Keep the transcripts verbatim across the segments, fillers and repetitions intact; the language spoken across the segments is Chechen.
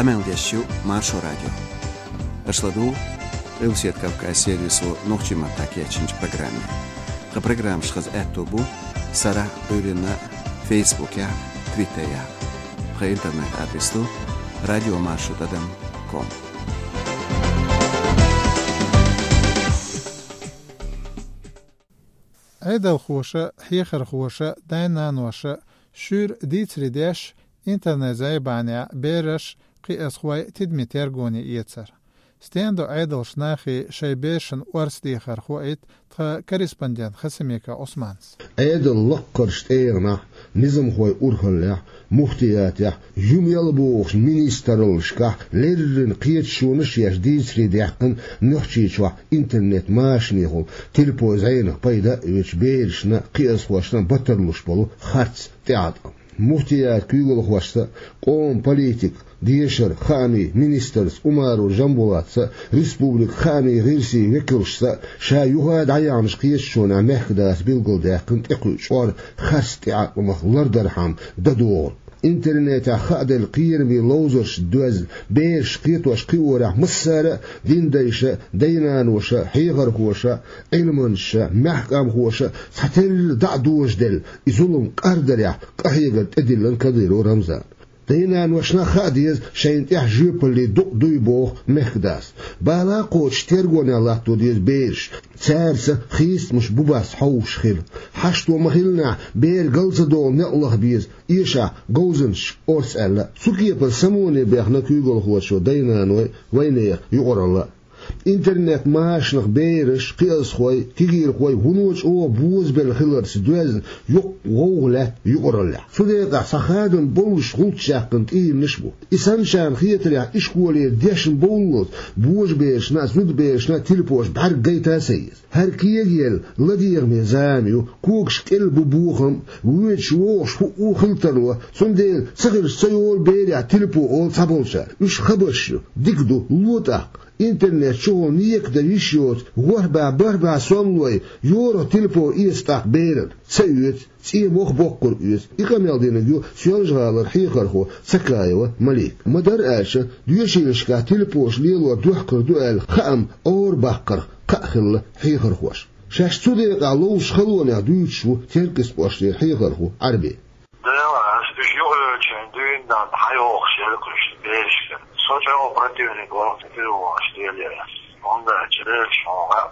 Къамел деш ю Маршо радио. Аша ладугӀу Къилбаседа Кавказ сервисо нохчийн маттахь кечйинчу программе. Тхан программаш хаза аьтто бу сарахь, Ӏуьйранна, Фейсбукехь, Твиттерехь. Тхан интернет-адрес ду радиомаршо тӀадам ком. Ӏедалхоша, хьехархоша, дай-наноша шуьйра дийцаре деш, интернет-зӀе бахьанехь бераш, кхиазхой тидаме тергоне эцар. Стендо Ӏедалш нахе шайн берашна орца дехар хоуьйту тхан корреспондент Хасимиков Ӏусманас. Ӏедал лаккхарчу тӀегӀанехь, низамхой урхаллехь, муфтиятехь, ю-мел бохучу министраллашкахь леррина кхеташонаш а еш дийцаре даьккхина Нохчийчохь интернет-машанехула телепой-зӀенах пайда а оьцуш берашна а, кхиазхошна а батарлуш болу харц тӀеӀаткъам. Муфтият куьйгалхошца а, къоман политика, дешара, хаамийн министрца Умаров Жамбулатца а, республикан хаамийн гӀирсийн векалшца а ша юха а дӀаяьхьначу кхеташонехь мехкадас билгалдаьккхина тӀекхуьу чкъор харц тӀеӀаткъамах лардархьама дан догӀург. Интернетехь хааделла кхераме ловзаршца доьзна бераш кхетош-кхиорехь массара а дин дайша а, дай-наноша а, хьехархоша а, Ӏилманчаша а, маьхкамхоша а цхьатерра дӀа а дожаделла, и зулам кӀардарехь къахьегар тӀедиллина Кадыров Рамзана. Дай-наношна а хаа деза шайна тӀехь жоьпалле дукъ дуй боху мехкадас. Бала кхочуш тергонехь латто деза бераш, цаьрца хийцамаш бу-бац хьовсуш хила. Хьашто ма-хиллинехь, бер гал ца догӀу некъ лаха беза, эшахь говзанчашка орца аьлла а. Цу кепара самоне бехна куьйгалхочо дай-наной, вайнехан юкъаралла а. Интернет-машанах бераш, кхиазхой, кегийрхой вуно чӀогӀа бозабелла хиларца доьзна йоккха гӀовгӀа лаьтта юкъараллехь. Цу декъехь цхьа хадам боллуш гӀулч яьккхина тӀеманаш а бу. И санначарна хетарехь, ишколера дешна бовллалц божаберашна а, зудаберашна а телепош бӀаьрг гайта а ца еза. ХӀара кегаелла, ладегӀаме зама ю, когаш кӀел бу бохам, воьдуш вогӀуш хӀуъу хила тарло, цундела ца хилча ца йолу берехь телепо олу цхьаболчара. Уьш хабарш ю, дика ду, ло тӀаккха. Интернет чухула нека дан йиш йоцу ворхӀ бӀе, бархӀ бӀе сомлой йорах телепо эца тӀаккха берана. Ца оьцу, цӀен мох боккхург оьцу. И къамел динарг ю Соьлжа-ГӀалара хьехархо Цакаева Малика. Ма-дарра аьлча, доьшийлашкахь телепош лелор дохкур ду аьлла хаам Ӏора баккхарх кхаъ хилла хьехархошна. Шаьш цу декъехь ловзуш халонех дуьйцуш ву Теркйистан кӀоштера хьехархо Ӏарби. Дела, ас уьш юхаоьцучийн дуьйна дан хьайохуш яра кхуьнан берашка. Со чӀогӀа противник вара кхин телефонаш лелаян. ХӀунда аьлча бераш хьуна хаьа,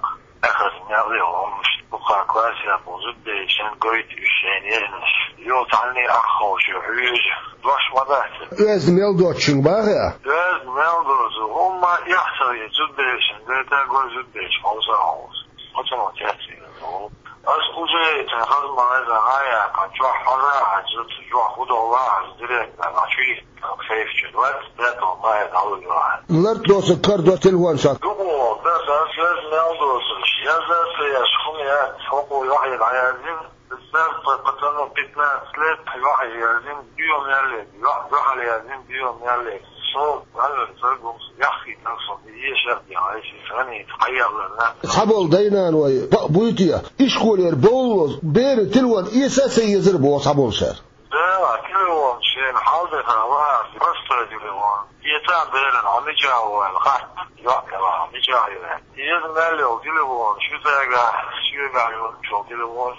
эхарт мел йолу хӀуманаш, дукха классехь болу зудаберашна гойту уьш шайна езанаш. Юха цхьанний ах ховшу хьуьйжа, дош ма дац. Оьзда мел доцучуьнга бахьа а? Оьзда мел доцу хӀумма эхь ца веза, зудаберашна гайта а гой, зудабераш хьовса а хьовса. Оцунах цецвийна ву. Ас уже цхьа хаза ма-веза, хьан яьккхина, чохь хьажа а хьажа, чохь хӀун долу а хьажа, директор, а, чу йита, сейф чу, двадцать пятого мая дӀалур ю ахьа. Лартдоцург карадо телефонашка. Дукха вахана, ас, ас мел доцург, яза а ца еш, хӀума яц, хӀокхо юьхье дӀаяздина. Ас, ас, пацану пятнадцать лет, юьхье яздина, дуьйна мел ле, юьхь-, юьхьал яздина, дуьйна мел ле. Со, валлахӀи, ца гуш, яххийтар со, ешар, я, айси, санийта, хьаялларна. Цхьаболу дай-наной бакъ буй те, ишколера бовллалц беран телефон эца а ца езара боху цхьаболчара. Да, телефон шена хьалдеха вахара, простой телефон. Эца а берана, хьо мичахь ву аьлла, хатта, йоӀ, хьо мичахь ю аьлла. Иза мел йолу телефон, шу цаьрга, соьгахь йолчу телефон.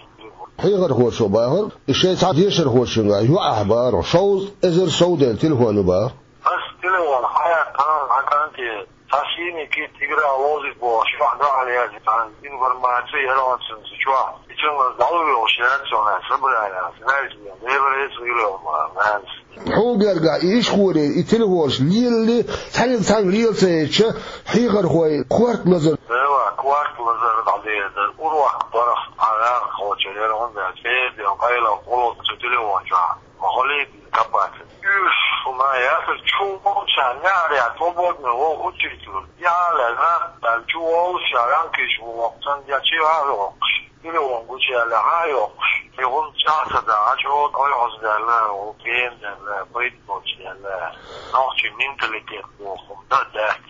Хьехархочо бахара, и шайн цхьа дешархочуьнга юьхьехь бахара, шовзткъа эзар сов делла телефон ю бахара. Ас телефон хьаяккхана, хьан кӀанте, цхьа сийни кит тигра лозиг бохуш, юьхь дуьхьал язйина, цхьа информаци яра оцунца чохь. И цуьнга дӀалур йолуш яц, цунах собрание, знаете, Делан эца гӀира ма, нанас. Хьуна гергахь и ишколе, и телефонаш лелале, цхьаьнга цхьаьнга лела ца езча, хьехархой корта лазар. Дела, корта лазар дӀадедар, урок барах, а, яххочуьра яра хӀунда аьлча, эдел, къайлах, къуллух цу телефон чохь. Ма хьо лийца капаца. Уьш, хӀума яцара, чу волчарна неӀарехь, свободный вогӀу учитель. Яхьа лаьцна, аьлла, чу волуш, ша ранкиш ву воккху, сан я чи а йоккхуш. Телефон гучуяьлла хьан а йоккхуш. И хӀума чӀагӀ ца дахь, чӀогӀа ойхьаздаьлла, гена даьлла, пайда боцуш даьлла. Нохчийн менталитет боху, дан дац.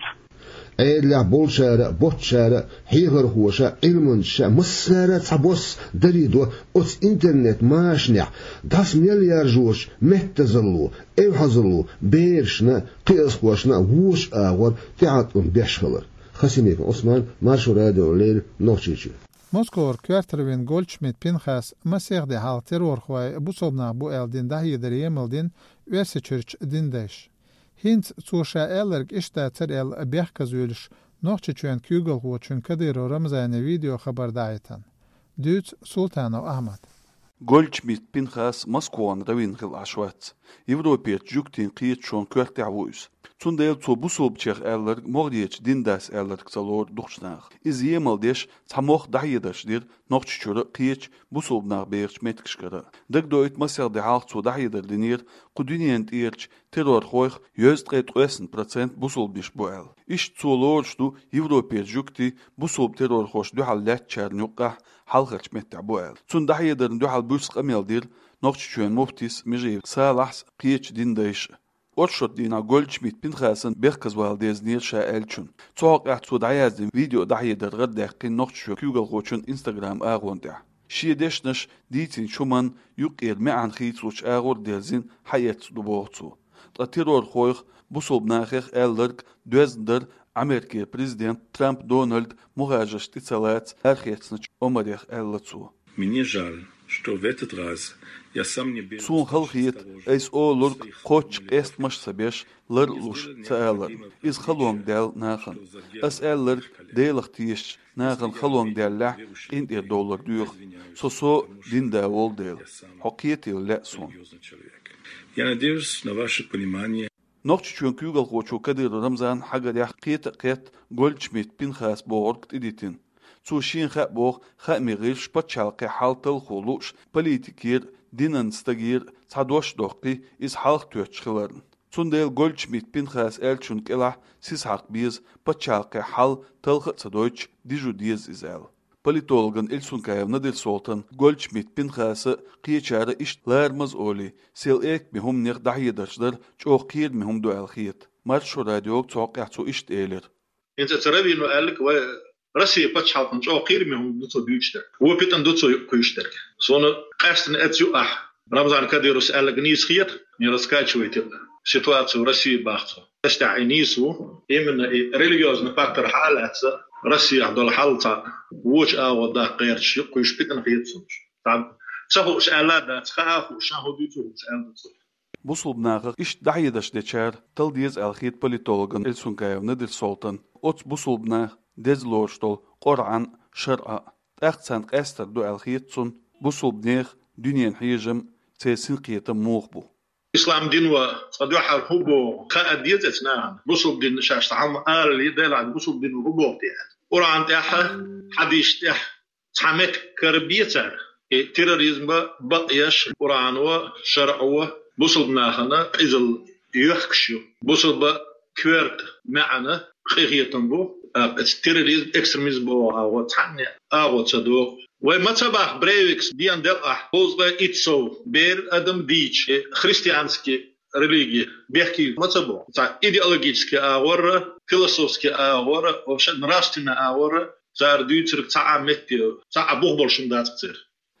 Ӏедалехь болчара а, боцчара а, хьехархоша а, Ӏилманчаша а, массара а цхьабосса дарийдо оцу интернет-машанехь дӀасамел яржочу меттазалло, эвхьазалло, берашна а, кхиазхошна а вочу агӀор тӀеӀаткъам беш хилар. Хасимиков Ӏусман, Маршо радиона леррина, Нохчийчоь. Москвара коьртара вина Гольдшмидт Пинхаса масех де хьалха террорхой бусалба нах бу аьлла дина дӀахьедар емал дина Оьрсийчуьрчу динан дайша. ХӀинца цо ша аьлларг иштта дацара аьлла бехказа воьлуш Нохчийчоьнан куьйгалхочун Кадыров Рамзанан видеохабар дӀахьийтина. Дуьйцу Султанов Ахьмада. Гольдшмидт Пинхас Москвана раввин хилла Ӏаш вац. Европерчу жуьгтийн кхеташонан коьртехь ву иза. Цундела цо бусалбачех аьлларг могӀарерчу динан дас аьлларг ца лору дукхачу наха. Иза емал деш цхьа могӀа дӀахьедарш дира Нохчийчуьра а, кхечу бусалба нах бехачу меттигашкара а. Дагадоуьйту, масех де хьалха цо дӀахьедар динера кху дуьненан тӀерачу террорхойх йоьзткъе ткъесна процент бусалбанаш бу аьлла. Иштта цо лоруш ду Европерчу жуьгтий бусалба террорхошна дуьхьал лаьттачарна юккъехь хьалхарчу меттехь бу аьлла. Цунна дӀахьедарна дуьхьал буьрса къамел дира Нохчийчоьнан муфтис Межиев Салахьс а, кхечу динан дайша а. Оршот дийнахь Гольдшмидт Пинхасана бехказавала дезнера ша аьллачунна. Цу хьокъехь цо дӀаяздина видео дӀахьедар гӀарадаьккхина Нохчийчоьнан куьйгалхочун Instagram агӀон тӀехь. Шен дешнаш дийцинчу хӀуманна юккъера маьӀна хийцалучу агӀор а дерзина хьаэцна ду боху цо. Ткъа террорхойх, бусалба нахех аьлларг доьзна дара Америкера президент Трамп Дональд мухӀажарш тӀе ца лаца арахецначу омарех, аьлла цо. Мне жаль, что в этот раз я сам не был Суна хала хета, айса олург кхоччуш къестамаш а ца беш, лар а луш ца аларна. Иза халонга даьлла нахана. Ас аьлларг Делах тешачу нахана халонга даьллехь, къинтӀера довлар доьху. Со со а динан да волу дела. Хьо кхетийла лаьа суна. Я надеюсь на ваше понимание. Нохчийчоьнан куьйгалхочо Кадыров Рамзанан хьагарехь кхета а кхетта Гольдшмидт Пинхас бохург тӀедитина. Цо шена хаьа боху хаамийн гӀирсаш пачхьалкхийн хьал талхо лууш, политикера а, динан стагера а цхьа дош а доккхий, иза хьалха тоьттуш хиларна. Цундела Гольдшмидт Пинхаса аьллачунна кӀелахь сиса хьакха беза, пачхьалкхийн хьал талха а ца дойтуш, дижо деза иза аьлла. Политологна Эльсункаев Надир-Солтанна Гольдшмидт Пинхаса а, кхечара а иштта ларамаза олий, сел экаме хӀуманех дӀахьедарш дар чӀогӀа кхераме хӀума ду аьлла хета. Маршо радиога цу хьокъехь цо иштта элира. ХӀинца ца раввино аьлларг вай Россия пачхьалкхана чӀогӀа кхераме хӀума ду цо дуьйцуш дерг. Вон питана ду цо кхуьйсуш дерг. Суна къаьстина эцна юкъахь Рамзан Кадыровс аьлларг нийса хета, не раскачивайте ситуацию в России, бах цо. Ас тӀехь и нийса ву, именно и религиозный фактор хьа а лаьцна, Россехь долу хьал цхьа вочу агӀор даккха гӀерташ юкъа кхуьйсуш питана хета суна. Цхьа ца хууш аьлла а дац, хаа а хууш, шен хӀун дуьйцу хууш аьлла ду цо. Бусалба нахах иштта дӀахьедарш дечара тала деза аьлла хета политологна Эльсункаев Надир-Солтанна оцу бусалба наха деза лоруш долу Къуръан а, шарӀа а. ТӀаккха царна къаьстар ду аьлла хета цунна бусалба нехан дуьненан хьежам а, церан синкхетам муха бу. Ислам дино цкъа дуьххьара хӀун боху хаа деза оцу нахана. Бусалба дин шаьш цхьа хӀума алале, Делахь бусалба дино хӀун боху те аьлла. Къуръан тӀехь а, хьадисаш тӀехь а цхьа меттиг карабе цара. И терроризм бакъ еш Къуръано, шарӀо бусалба нахана къизалла йоьхкуш ю. Бусалба коьрта маьӀна, къинхетам бу, тӀаккха оцу терроризм, экстремизм боху агӀо цхьанне а агӀо ца догӀу. Вай ма ца боху, Брейвикс дена делахь, кхузткъе итт сов бер адам дийча, и христианский религия бехке ма ца боху. Цхьа идеологический агӀор а, философский агӀор а, вообще нравственный агӀор а цара дуьйцург цхьа а метте, цхьа а бух болуш хӀума дац-кх церан.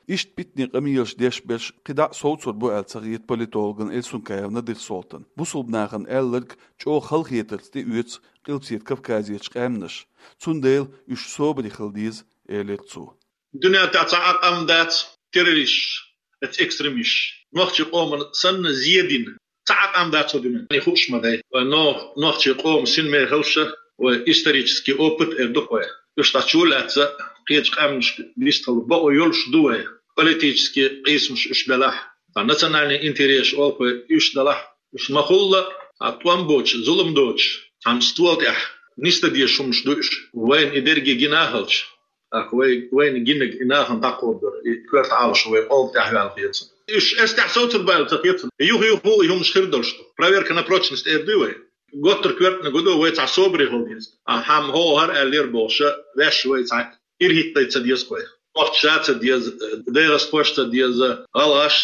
Иштта питане къамелаш деш берш кхидӀа а совцур бу аьлла ца хета политологна Эльсункаев Надир-Солтанна. Бусалба нахана аьлларг чӀогӀа халахетарца тӀеоьцу Къилбаседа Кавказерчу къаьмнаша. Цундела уьш собаре хила деза, элира цо. Дуьнен тӀехь цхьа а къам дац террористаш, оцу экстремисташ, нохчийн къомана санна зе дина. Цхьа а къам дац цу дуьнен тӀехь, хууш ма дай. Вай нох-, нохчийн къоман синмехаллаш а, вай исторический опыт а эр ду-кх вай. Уьш дӀа чу а лаьцна, кхечу къаьмнашка дистхила бакъо йолуш ду вай. Политический къийсамаш уьш белахь, цхьа национальный интересаш олу вай уьш делахь, уьш ма-хуьллу, цхьа тӀом боцуш, зулам доцуш, цхьана стола тӀехь нисдан дезаш хӀуманаш ду уьш. Вайна и дерриге гина а хилча, тӀаккха вай, вайна гинарг и нахана дӀакховдор, и коьрта Ӏалашо вай къоман тӀехь ваьлла хета суна. Уьш эс тӀехь совцур бу аьлла ца хета суна. Юха-юха и хӀуманаш хир долуш ду. Проверка на прочность эр дуй вай? Готтар коьртаниг ду, вай цхьа собаре хила деза. А хӀама хӀокху хӀара аьллера бохуш, ваьш вай цхьа ирхӀитта ца деза-кх вай. Нохчаша а ца деза, дагӀастхошца а ца деза, гӀалгӀаш,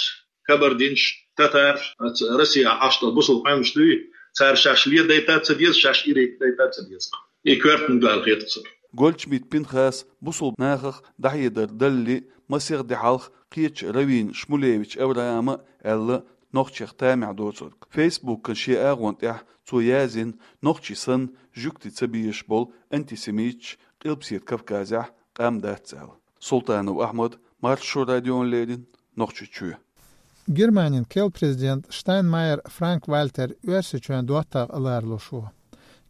кабардинцаш, татараш, оцу Россехь Ӏаш долу бусалба къаьмнаш дуй, цара шаьш ледайта а ца деза, шаьш ирхӀитта а ца деза. И коьртаниг дала хетац. Гольчмидт Пинхас бусалба нахах дӀахьедар далале а, масех де хьалха кхечу раввин Шмулевич Авраама а аьлла, нохчех тамехь доцург. Фейсбукан шен агӀон тӀехь цо яздина, нохчий санна жуьгтий ца безаш болу антисемиташ Къилбаседа Кавказехь къам дац аьлла. Султанов Ахьмад, Маршо радиона леррина, Нохчийчоь. Германин керла президент Штайнмайер Франк-Вальтер Оьрсийчоьнан доттагӀа аларлуш ву.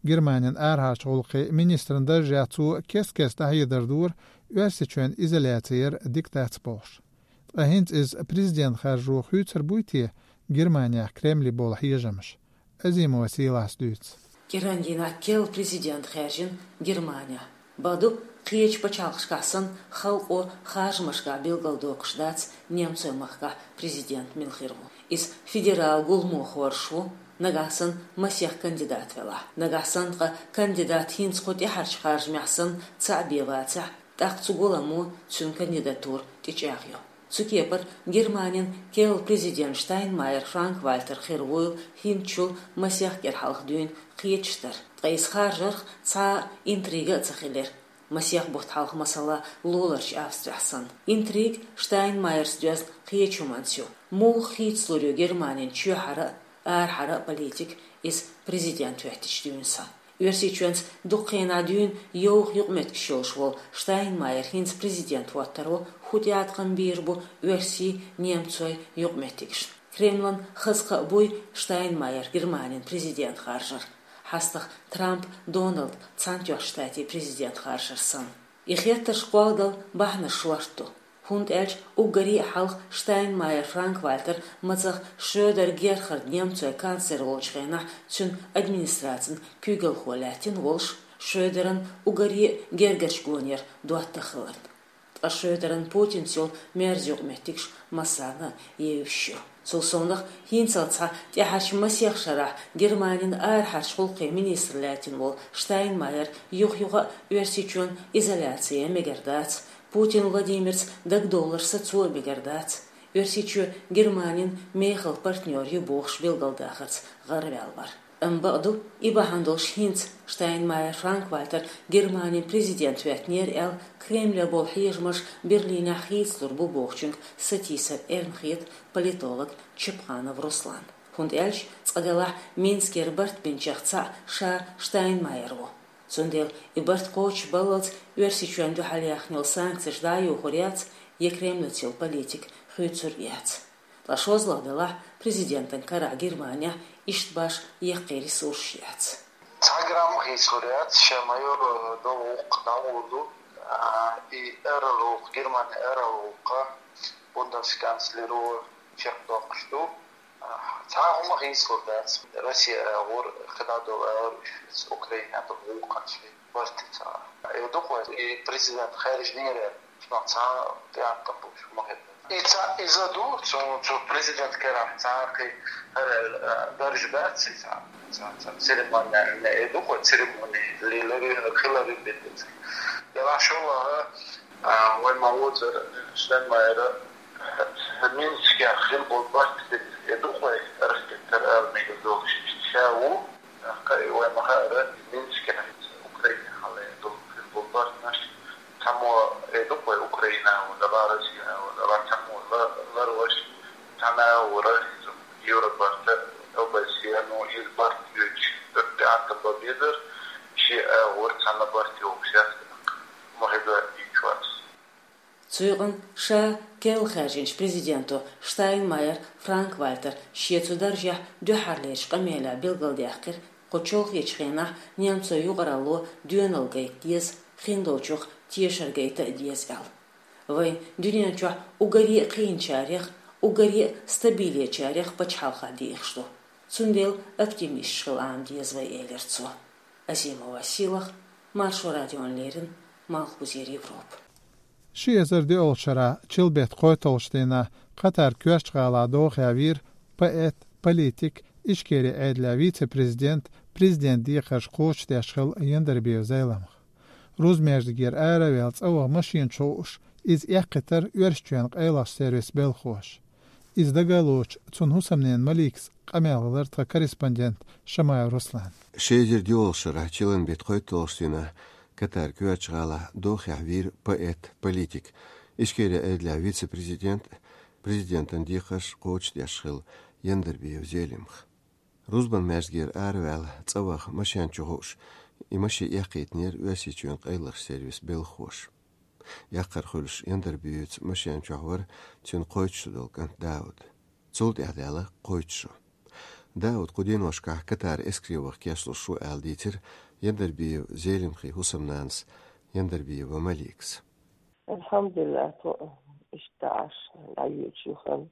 Германин арахьарчу гӀуллакхийн министран даржехь цо кест-кеста дӀахьедар дора, Оьрсийчоьнан изоляци яр дика дац бохуш. Ткъа хӀинца иза президент харжо хуьйцур буй те Германехь Кремле болу хьежамаш? Азимова Сийлас дуьйцу. КӀиран дийнахь керла президент хаьржина Германехь. Бакъду, кхечу пачхьалкхашкахь санна, халкъо харжамашкахь билгалдоккхуш дац немцойн махкахь президент мила хир ву. Иза федерал гуламо хоржуш ву, нагахь санна масех кандидат велахь. Нагахь санна ткъа кандидат хӀинца кху тӀаьхьарчу харжамехь санна цхьаъ бен вацахь, тӀаккха цу гуламо цуьнан кандидатура тӀечӀагӀйо. Цу кепара Германин керла президент Штайнмайер Франк-Вальтер хир вуйла хӀинцачул масех кӀира хьалха дуьйна кхеташ дара. Ткъа иза харжарх цхьа а интрига а ца хилира. Масех бутт хьалха, масала, луларчу Австрехь санна. Интрига Штайнмайерс доьзна кхечу хӀуманца ю. Муха хийцалур ю Германин чоьхьара а, арахьара а политика иза президент хӀоьттичу дуьйна санна? Оьрсийчоьнца дукха хенахь дуьйна йовха юкъаметтигаш йолуш волу Штайнмайер хӀинца президент хӀоттаро хӀун тӀеӀаткъам бийр бу оьрсийн, немцойн юкъаметтигашна? Кремлан хаза кхаъ буй Штайнмайер Германин президент харжар, хьастагӀа Трамп Доналд Цхьаьнатоьхначу Штатийн президент харжар санна? И хеттарш кхолладала бахьанаш шорта ду, хӀунда аьлча уггаре а хьалха Штайнмайер Франк-Вальтер мацах Шредер Герхард немцойн канцлер волчу хенахь цуьнан администрацин куьйгалхо лаьттина волуш, Шредеран уггаре а гергарчу гонера доттагӀа хиларна. Ткъа Шредеран Путинца йолу мерза юкъаметтигаш массарна а евзаш ю. Цул совнаха, хӀинццалц схьа тӀаьхьарчу масех шарахь Германин арахьарчу гӀуллакхийн министр лаьттина волу Штайнмайер юха-юха а Оьрсийчоьнан изоляци ян мегар дац, Путин Владимирца дагадовлар сацо а мегар дац, Оьрсийчоь Германин мехала партнер ю бохуш билгалдахарца гӀараваьлла вара. Амма бакъду, и бахьана долуш хӀинца Штайнмайер Франк-Вальтер Германин президент хӀоьттинера аьлла, Кремле болу хьежамаш Берлинехь хийцалур бу бохучуьнга сатийсар эрна хета политолог Чапханов Руслан. ХӀунда аьлча, цкъа делахь, Минскера барт бинчех цхьаъ ша Штайнмайер ву. Цундела и барт кхочушбаллалц Оьрсийчоьнна дуьхьал яьхна йолу санкцеш дӀа а йохур яц, я Кремлаца йолу политика хуьйцур а яц. Ткъа шозлагӀа делахь, президентан карахь Германехь иштта башха яккхий ресурсаш яц. Цхьа грамм хийцалур яц, шен майор долу гӀуллакх дӀагӀур ду, а, и арал гӀуллакх, Германин арал гӀуллакх бундесканцлеро чекхдоккхуш ду. А, цхьа хӀума хийцалур дац. Россия агӀор кхидӀа долу агӀор уьш Украина долу гӀуллакхаш барт ца. Э, дукха вай и президент хаьржинера, цунах цхьа тӀеӀаткъам болуш ма хир. И цхьа иза ду, цу, цу президент карахь цхьа кхин хӀара, э, дарж бац, и цхьа, цхьа, цхьа церемония, э, дукха вай церемония, лилари, хилари бедиц. Делахь шолгӀа, а, вай ма вуцар, Штайнмайера, э, Минскехь хила болу барт, э, дукха вай ракетар ала мегар долуш ша ву. Кхин вай ма хаьара, Минскехь Украина хьалха долу хир болу барт, цхьаммо, э, ду-кх вай Украина а вара, ва Россия а вара, ва цхьаммо ла-, ларваш, цхьана а вара, иза Евробарта, ОБСЕ, ну, иза барт йоьдуш, тӀаккха тӀеӀаткъам бан безара, шен а вара, цхьана барт йогӀуш яц, ма хеза ийчвац. Цу юкъана ша керла хаьржинчу президенто Штайнмайер Франк-Вальтер шен цу даржехь дуьххьарлерчу къамелехь билгалдаьккхира, кху чолхечу хенахь немцойн юкъаралло доьналла гайта деза, хиндолчух тешар гайта а деза аьлла. Вайн дуьнен чохь уггаре а кхиъначарех, уггаре а стабилечарех пачхьалкхехь дехаш ду. Цундела оптимисташ хила Ӏама деза вай, элира цо. Азимова Сийлаха, Маршо радиона леррина, Малхбузера Европа. Ши эзар диъолчу шарахь чиллин беттан кхойтталгӀачу дийнахь Катар коьртачу гӀалахь дохаевира поэт, политик, Ичкерин Ӏедалан вице-президент, президентан декхарш кхочушдеш хилла Яндарбиев Зайламха. Рузмеждигера ара а ваьлла цӀа ваха машина чу хууш, иза эккхийтира Оьрсийчоьнан къайлахчу сервисан белхоша. Иза дага а лоцуш, цуьнан хӀусамнена Маликас къамел лар тха корреспондент Шамаев Руслан. Ши эзар доьалгӀача шера чиллан бетта кхойтталгӀача дийнахьа Катар коьртача гӀалахь дохехь вийра поэт, политик, Ичкерин Ӏедалехь вице-президент, президентан декхарш кхочушдеш хилла Яндарбиев Зелимха. Рузбан маьждигера араваьлла цӀа ваха машен чу хууш, и машен эккхийтинера Оьрсийчоьнан къайлахчу сервисан белхахоша. Яккхар хуьлуш Яндарбиевца машен чохь вара цуьнан кхойтта шо долу кӀант Дауд. Цул тӀаьхьа даьлла кхойтта шо. Дауд кху деношкахь Катар эскаре ваха кечлуш ву аьлла дийцира Яндарбиев Зелимхин хӀусамнанас Яндарбиева Маликас. Алхьамдулиллахь, тхо иштта Ӏаш дӀайоьдуш ю хан.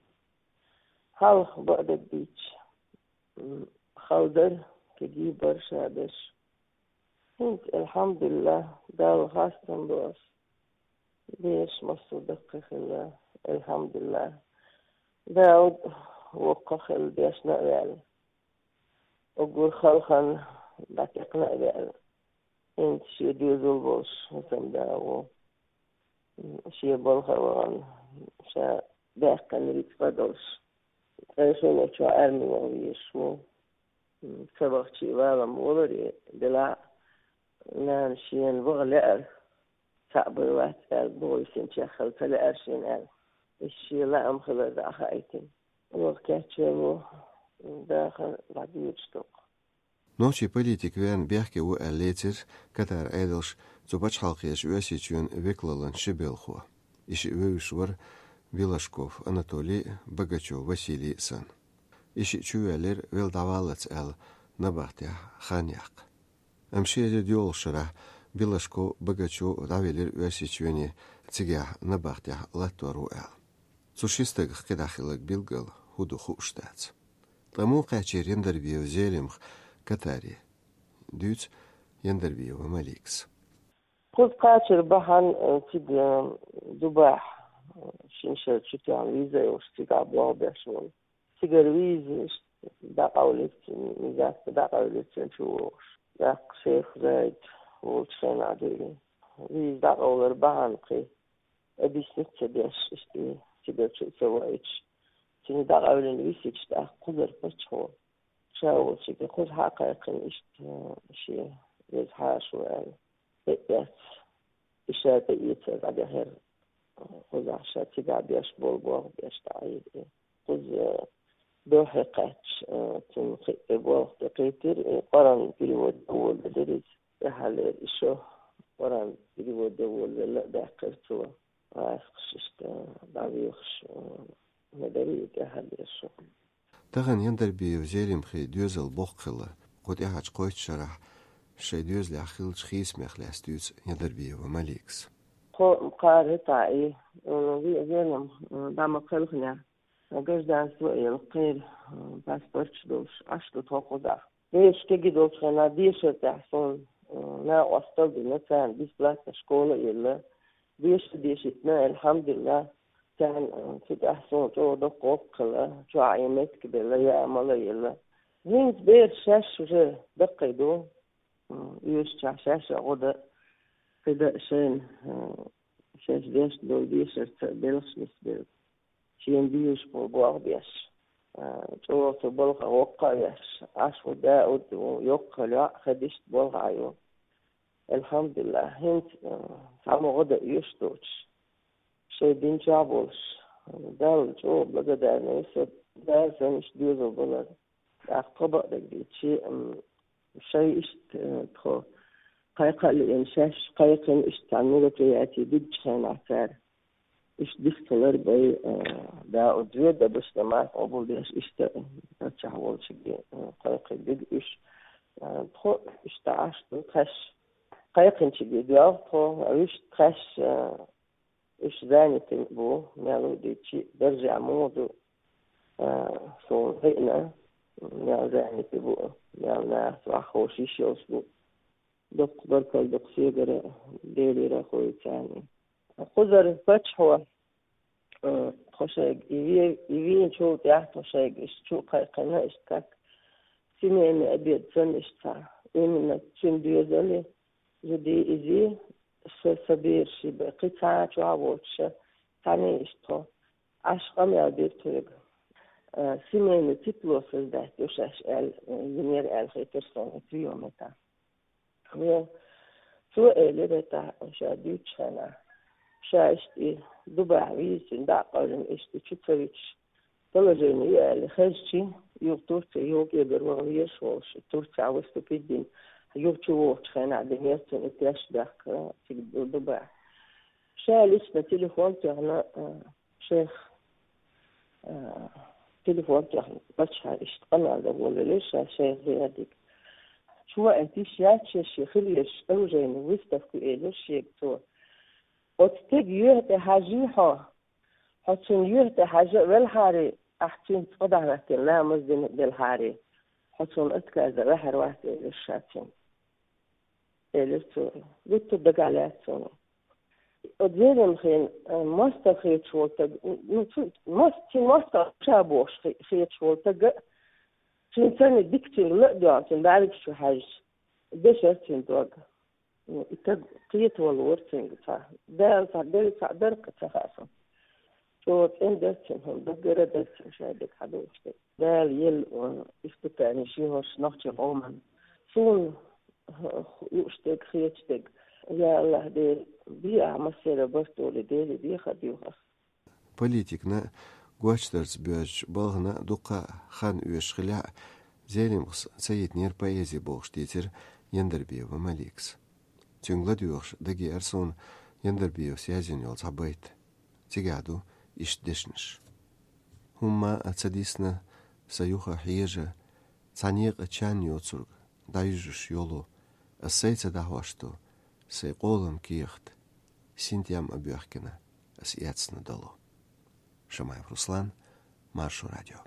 Хьалха бакъдерг дийцча, м, хала дара, кегий бара ша берш. ХӀинца, алхьамдулиллахь, Далла хастам бу ас. Бераш массо а даккхий хилла, алхьамдулиллахь. Дауд воккха хилла, дешна а ваьлла. Уггар хала хан дӀатекхна а ваьлла. ХӀинца шен доьзал болуш хӀусамда ву. Шен балха а вахана, ша баьккхина рицкъа а долуш, ткъе шолгӀачохь арми ваха везаш ву. М, ца вахча а валам воларе, делахь а нана шена ваха лаьара, цхьаъ бен вац аьлла, боху йисинчех хила ца лаьара шена аьлла. Иза шен лаам хилар дӀахаийтина. Ваха кечвелла ву, дахар дӀадоьдуш доккху. Нохчийн политик веана бехке ву аьлла лецира Катар Ӏедалш цу пачхьалкхерчу Оьрсийчоьнан векалаллин ши белхо. И шиъ вевзаш вара Белашков Анатолий а, Богачев Василий а санна. И шиъ чувоьллира велла дӀаваллалц аьлла набахтехь хан яккха. Амма ши эзар доьалгӀачу шарахь Белашков, Богачев дӀавелира Оьрсийчоьне, цигахь набахтехь латтор ву аьлла. Цу ши стагах кхидӀа хилларг билггал хӀун ду хууш дац. Ткъа муха кхаьчнера Яндарбиев Зелимха Катаре? Дуьйцу Яндарбиева Маликас. Кхуза кхачар бахьана, э, цига, э, Дубайхь, э, шина шарчу тӀехь виза йолуш, цигахь болх беш волу. Цигара виза иштта дӀакъовлира цуьнан, виза дӀакъовлира цуьнан чу вогӀуш. ТӀаккха шайх Зайд волчу хенахь дуьйна. Виза дӀакъовлар бахьана кхин объяснить ца деш, иштта цигара чу а ца ваийтуш, цуьнан дӀакъевлина висича, тӀаккха кхузара паччахьо ша волчуьнга кхуза схьа а кхайкхина, иштта шен веза хьаша ву аьлла, тӀеэцна, и ша тӀеэцар дӀадехира, кхузахь ша цигахь беш болу болх беш дӀаийра. Кхуза дуьххье кхаьчча, цунна кхин а болх тӀекхийтира, и Къуръан перевод а волавелира иза. ТӀаьххьарлера и шо Къуръан перевод а волавелла а даьккхира цо. ГӀазкхаша иштта дӀавоьхуш, ма дарий и тӀаьххьарлера шо. Тахана Яндарбиев Зелимхин доьзал боккха хилла. Кху тӀаьхьарчу кхойтта шарахь шайн доьзалехь хиллачу хийцамех лаьцна дуьйцу Яндарбиева Маликас. Тхо кхара хӀетахь и, м, ве-, Зелимха, м, дӀа ма кхелхинехь, гражданство а елла, кхеран, м, паспорташ долуш Ӏаш ду тхо кхузахь. Бераш кегий долчу хенахь дешар тӀехь суна, м, накъосталла дина, царна бесплатно школа а елла. Деша а дешийтина, алхьамдулиллахь, царна, м, цу тӀехь суна чӀогӀа доккха гӀуллакх хилла, чохь а меттиг белла, яа а мала а елла. ХӀинца бераш шаьш уже даккхий ду, м, оьшучохь шаьш а гӀо дан, кхин дан а шайна, м, шаьш дешна долу дешарца белхаш нисбелла. Шена буьйцуш болу болх беш, а, чӀогӀа цу балхах воккха а веш, Ӏаш ву Дауд, ву йоккха йоӀ, хадишта болх Ӏа ю. Алхьамдулиллахь, хӀинца, а, цхьаммо гӀо дан оьшуш доцуш, шайн дин чохь а болуш, Далла чӀогӀа благодарна ю со, Дала санна иштта доьзал балар. ТӀаккха тхо бакъдерг дийцча, м, шайн иштта, э, тхо кхайкха а лиъна, шаьш кхайкхина иштта цхьана мероприяти дигчу хенахь цара. Иштта дика хилар бен, э, Дауд вен дабаш намаз къобалдеш, иштта, э, паччахь волчуьнга, э, кхайкхина диг уьш. Э, тхо иштта Ӏаш ду тхаьш. Кхайкхинчуьнга доьлху тхо, уьш тхаьш, э, Уьш занятый бу, мел ву дийцча, даржехь муха ду, а, суна хиъна, мел занятый бу, мел нахаца ваххуш йиш йолуш бу. Дуккха баркалла ду-кх соьгара, Делера а хуьйцу царна. Кхузара паччахьо, а, тхо шайга и ве-, и вийначул тӀаьхьа тхо шайга иштта чу а кхайкхина, иштта как семейный обед санна иштта цхьа. Именно цуьнан доьзале, зуди, изи, ша, сан бераш, бен кхин цхьа а чохь а воцуш, цхьаьна иштта тхо Ӏаш къамел бира тхоьга. а, семейный тепло создать йо шаьш аьлла, а, йинера аьлла хетар сона и приём это. Ну, цо элира это, ша дуьйцучу хенахь. Ша иштта и Дубахь вийзича, дӀа а къевлина, иштта чу ца вуьтуш, положение ю аьлла хезчи, юха Турция, юха кӀегар ваха везаш волуш, Турция выступить дина, юха чу вогӀучу хенахь динера цунна и теш бехк, а, цига Ду-, Дубахь. Ша лично телефон тоьхна, а, шайх, а, телефон тоьхна, паччахьа иштта къамел дан волавелира ша шайх Зиадига. Чу ваийта йиш яц шен, шен хила езаш оружейный выставка ю, элира шега цо. Оцу стеган юьхь тӀе хьажий хьо? Хьо цунна юьхь тӀе хьажа а велхьарий, ахь цуьнца цкъа дӀахӀоьттина ламаз дина а делхьарий, хьо цунна отказ дан ваьхьар вац, элира ша цуьнга. Элира цо. Гуттар дагахь лаьцна суна. Оцу Зелимхин, а, мостагӀа хеташ волу стаг, ну, цу, мост-, цуьнан мостагӀа ша бохуш хе-, хеташ волу стаг, цуьнан царна дика цуьнга ла а доьгӀна, цуьнан бӀаьргаш чу хьаьжча, дешара цуьнан дог. Ну, и стаг кхетавала вара цуьнга цхьа. Дала цхьа, Дала цхьа дара-кх, ца хаьа суна. ЧӀогӀа цӀена дара цуьнан хӀума, даггара а дара цуьнан шайн дага хьадогӀуш дерг. Дала елла, а, испытание шен хӀорш нохчийн къоман. Суна лууш дерг, хеташ дерг. Я АллахӀ, Дела, бе ахь массеран барт долий, Деле дехар доьху ас. Политикна, гочдарца боьжча балхана дуккха а хан оьшуш хилахь а, Зелимхас ца йитинера поэзи бохуш дийцира Яндарбиева Маликас. Цуьнга ладоьгӀуш дагеара суна Яндарбиевас язйина йолу цхьа байт. Цигахь ду иштта дешнаш. ХӀумма а ца дисна сан юха хьежа, цхьа некъа чан йоцург дӀаюьжуш йолу, ас сайца дӀахьош ду, сайн къолам кехат, синтем а боьхкина, ас эцна долу. Шамаев Руслан, Маршо радио.